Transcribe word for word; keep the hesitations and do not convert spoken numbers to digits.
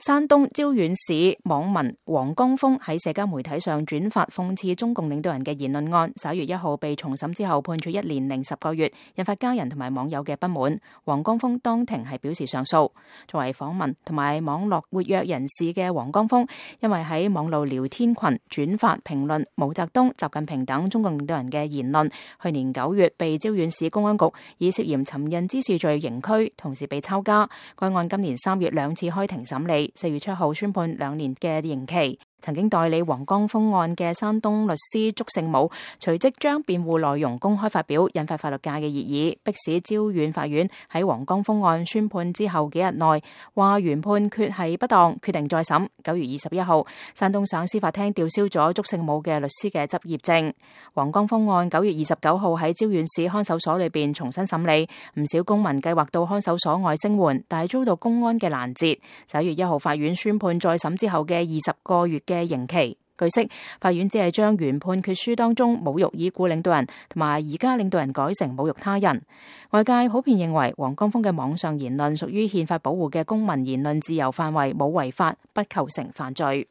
山東招遠市網民黃江峰喺社交媒體上轉發諷刺中共領導人嘅言論案，十一月一號被重審之後判處一年零十個月，引發家人同埋網友嘅不滿。黃江峰當庭係表示上訴。作為訪民同埋網絡活躍人士嘅黃江峰，因為喺網路聊天群轉發評論毛澤東、習近平等中共領導人嘅言論，去年九月被招遠市公安局以涉嫌尋釁滋事罪刑拘，同時被抄家。該案今年三月兩次開庭審理，四月七號宣判兩年嘅刑期。曾經代理黃江峰案嘅山東律師祝聖武隨即將辯護內容公開發表，引發法律界嘅熱議，迫使招遠法院喺黃江峰案宣判之後幾日內話原判決係不當，決定再審。九月二十一號，山東省司法廳吊銷咗祝聖武嘅律師嘅執業證。黃江峰案九月二十九號喺招遠市看守所裏邊重新審理，唔少公民計劃到看守所外聲援，但係遭到公安嘅攔截。十一月一號，法院宣判再審之後嘅二十個月嘅刑期。據悉，法院只係將原判決書當中侮辱已故領導人同埋而家領導人改成侮辱他人。外界普遍認為黃江峰嘅網上言論屬於憲法保護嘅公民言論自由範圍，冇違法，不構成犯罪。